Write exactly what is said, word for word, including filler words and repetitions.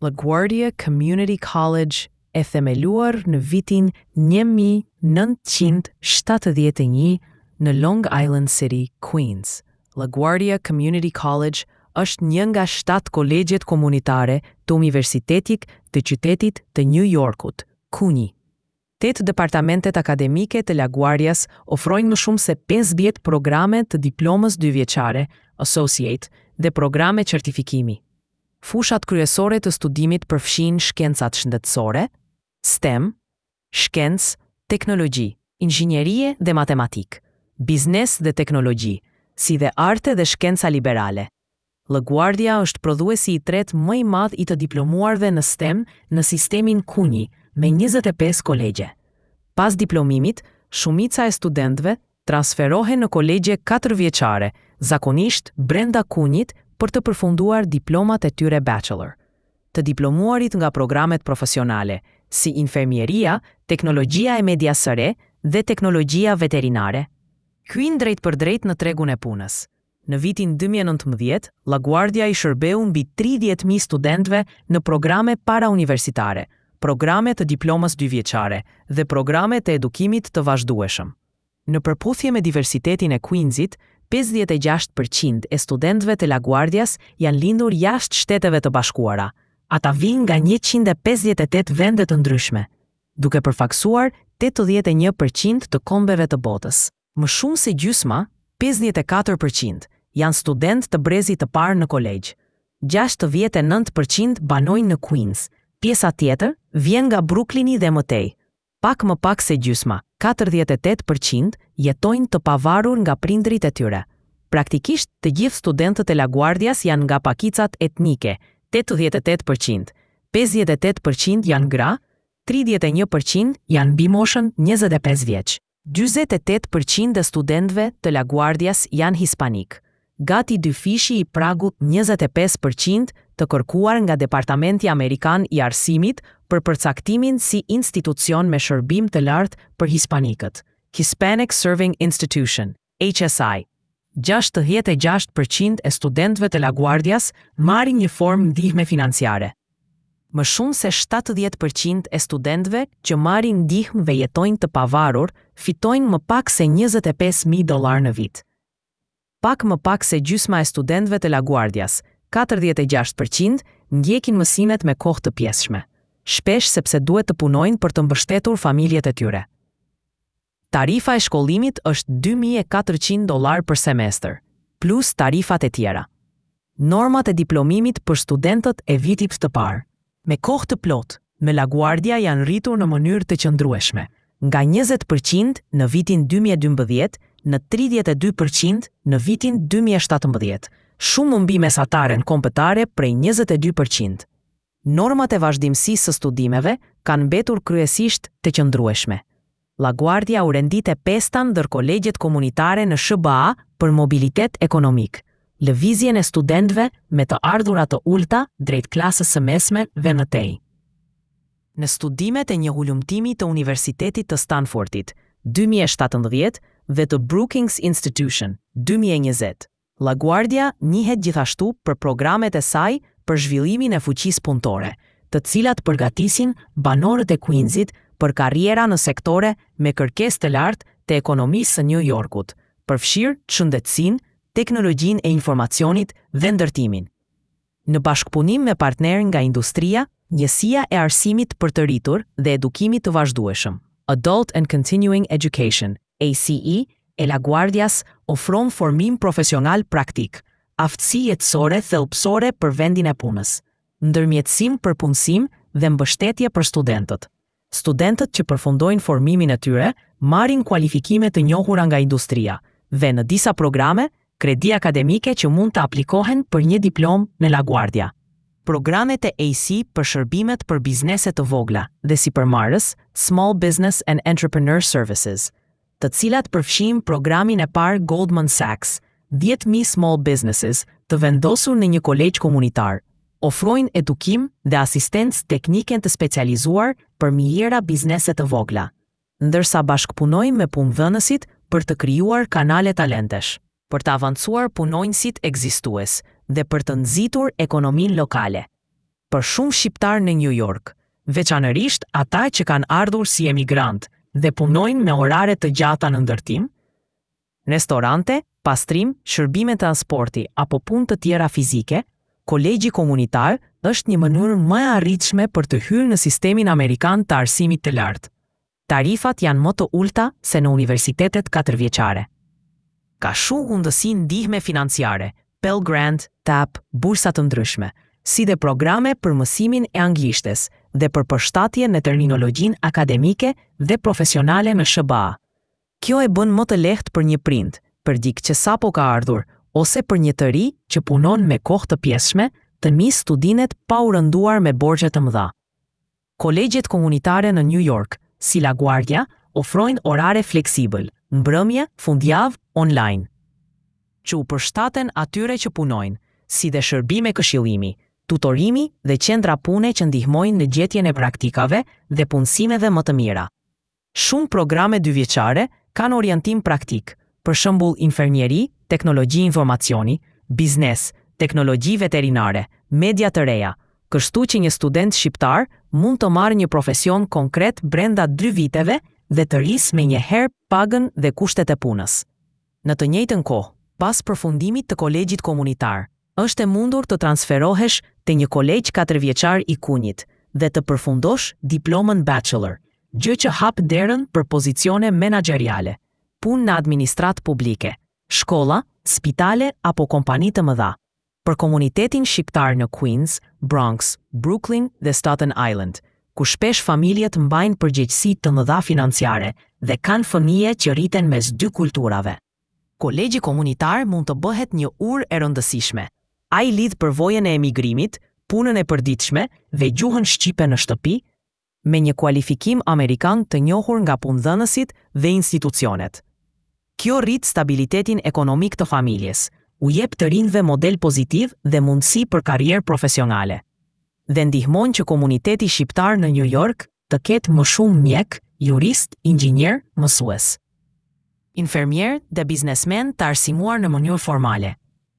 LaGuardia Community College, e themeluar në vitin një mijë e nëntëqind e shtatëdhjetë e një në Long Island City, Queens. LaGuardia Community College është një nga shtatë kolegjet komunitare të Universitetit të Qytetit të New Yorkut, CUNY. Tetë departamentet akademike të LaGuardias ofrojnë më shumë se pesëdhjetë programe të diplomës dyvjeçare, associate dhe programe certifikimi. Fushat kryesore të studimit përfshijnë shkencat shëndetësore, STEM, shkencë, teknologji, inxhinierie dhe matematikë, biznes dhe teknologji, si dhe arte dhe shkenca liberale. LaGuardia është prodhuesi i tretë më i madh i të diplomuarve në STEM në sistemin CUNY, me njëzet e pesë kolegje. Pas diplomimit, shumica e studentëve transferohen në kolegje katër vjeçare, zakonisht brenda CUNY-t, për të përfunduar diplomat e tyre bachelor. Të diplomuarit nga programet profesionale, si infermieria, teknologjia e medias së re dhe teknologjia veterinare, hyjnë drejt për drejt në tregun e punës. Në vitin dy mijë e nëntëmbëdhjetë, LaGuardia i shërbeu mbi tridhjetë mijë studentëve në programe para universitare, programe të diplomës dyvjeçare dhe programe të edukimit të vazhdueshëm. Në përputhje me diversitetin e Queensit, pesëdhjetë e gjashtë përqind e studentëve të LaGuardias janë lindur jashtë Shteteve të Bashkuara. Ata vijnë nga njëqind e pesëdhjetë e tetë vende të ndryshme, duke përfaqësuar tetëdhjetë e një përqind të kombeve të botës. Më shumë se gjysma, pesëdhjetë e katër përqind, janë student të brezit të parë në kolegj. gjashtëdhjetë e nëntë përqind banojnë në Queens, pjesa tjetër vjen nga Brooklyni dhe më tej. Pak më pak se gjysma, katërdhjetë e tetë përqind, jetojnë të pavarur nga prindërit e tyre. Praktikisht, të gjithë studentët e LaGuardias janë nga pakicat etnike, tetëdhjetë e tetë përqind, pesëdhjetë e tetë përqind janë gra, tridhjetë e një përqind janë mbi moshën njëzet e pesë vjeç. dyzet e tetë përqind e studentëve të LaGuardias janë hispanik, gati dyfishi i pragut njëzet e pesë përqind të kërkuar nga Departamenti Amerikan i Arsimit për përcaktimin si institucion me shërbim të lartë për hispanikët, Hispanic Serving Institution, H S I. gjashtëdhjetë e gjashtë përqind e studentëve të LaGuardias marrin një formë ndihme financiare. Më shumë se shtatëdhjetë përqind e studentëve që marrin ndihmë dhe jetojnë të pavarur fitojnë më pak se njëzet e pesë mijë dollar në vit. Pak më pak se gjysma e studentëve të LaGuardias, katërdhjetë e gjashtë përqind, ndjekin mësimet me kohë të pjesshme, shpesh sepse duhet të punojnë për të mbështetur familjet e tyre. Tarifa e shkollimit është dy mijë e katërqind dollar për semestër, plus tarifat e tjera. Normat e diplomimit për studentët e vitit të parë me kohë të plotë në LaGuardia janë rritur në mënyrë të qëndrueshme, nga njëzet përqind në vitin dy mijë e dymbëdhjetë në tridhjetë e dy përqind në vitin dy mijë e shtatëmbëdhjetë, shumë mbi mesataren kombëtare prej njëzet e dy përqind. Normat e vazhdimësisë së studimeve kanë mbetur kryesisht të qëndrueshme. LaGuardia u rendit e pesta ndër kolegjet komunitare në S H B A për mobilitet ekonomik, lëvizjen e studentëve me të ardhura të ulta drejt klasës së mesme dhe më tej. Në studimet e një hulumtimi të Universitetit të Stanfordit, dy mijë e shtatëmbëdhjetë, dhe të Brookings Institution, dy mijë e njëzet, LaGuardia njihet gjithashtu për programet e saj për zhvillimin e fuqisë punëtore, të cilat përgatisin banorët e Queensit për karriera në sektore me kërkesë të lartë të ekonomisë së New Yorkut, përfshirë shëndetësinë, teknologjinë e informacionit dhe ndërtimin. Në bashkëpunim me partnerë nga industria, njësia e arsimit për të rritur dhe edukimit të vazhdueshëm, Adult and Continuing Education, A C E, e LaGuardias ofron formim profesional praktik, aftësi jetësore thelbësore për vendin e punës, ndërmjetësim për punësim dhe mbështetje për studentët. Studentët që përfundojnë formimin e tyre marrin kualifikime të njohura nga industria dhe, në disa programe, kredi akademike që mund të aplikohen për një diplomë në LaGuardia. Programet e A C për shërbimet për biznese të vogla dhe sipërmarrës, Small Business and Entrepreneur Services, të cilat përfshijnë programin e parë Goldman Sachs, dhjetë mijë small businesses të vendosur në një kolegj komunitar, ofrojnë edukim dhe asistencë teknike të specializuar për mijëra biznese të vogla, ndërsa bashkëpunojnë me punëdhënësit për të krijuar kanale talentesh, për të avancuar punonjësit ekzistues dhe për të nxitur ekonominë lokale. Për shumë shqiptarë në New York, veçanërisht ata që kanë ardhur si emigrant dhe punojnë me orare të gjata në ndërtim, restorante, pastrim, shërbime transporti apo punë të tjera fizike, kolegji komunitar është një mënyrë më e arritshme për të hyrë në sistemin amerikan të arsimit të lartë. Tarifat janë më të ulta se në universitetet katërvjeçare. Ka shumë mundësi ndihme financiare, Pell Grant, T A P, bursa të ndryshme, si dhe programe për mësimin e anglishtes dhe për përshtatje në terminologjinë akademike dhe profesionale në S H B A. Kjo e bën më të lehtë për një prind, për dikë që sapo ka ardhur, ose për një të ri që punon me kohë të pjesshme, të nisë studimet pa u rënduar me borxhe të mëdha. Kolegjet komunitare në New York, si LaGuardia, ofrojnë orare fleksibël, mbrëmje, fundjavë, online, që u përshtaten atyre që punojnë, si dhe shërbime këshillimi, tutorimi dhe qendra pune që ndihmojnë në gjetjen e praktikave dhe punësimeve më të mira. Shumë programe dyvjeçare kanë orientim praktik, për shembull infermieri, teknologji informacioni, biznes, teknologji veterinare, media të reja, kështu që një student shqiptar mund të marrë një profesion konkret brenda dy viteve dhe të rrisë menjëherë pagën dhe kushtet e punës. Në të njëjtën kohë, pas përfundimit të kolegjit komunitar, është e mundur të transferohesh te një kolegj katërvjeçar i C U N Y-t dhe të përfundosh diplomën bachelor, gjë që hap derën për pozicione menaxheriale, punë në administratë publike, shkolla, spitale apo kompani të mëdha. Për komunitetin shqiptar në Queens, Bronx, Brooklyn dhe Staten Island, ku shpesh familjet mbajnë përgjegjësi të mëdha financiare dhe kanë fëmijë që rriten mes dy kulturave, kolegji komunitar mund të bëhet një urë e rëndësishme. Ai lidh përvojën e emigrimit, punën e përditshme dhe gjuhën shqipe në shtëpi me një kualifikim amerikan të njohur nga punëdhënësit dhe institucionet. Kjo rrit stabilitetin ekonomik të familjes, u jep të rinjve model pozitiv dhe mundësi për karrierë profesionale, dhe ndihmon që komuniteti shqiptar në New York të ketë më shumë mjek, jurist, inxhinier, mësues, infermier dhe biznesmen të arsimuar në mënyrë formale.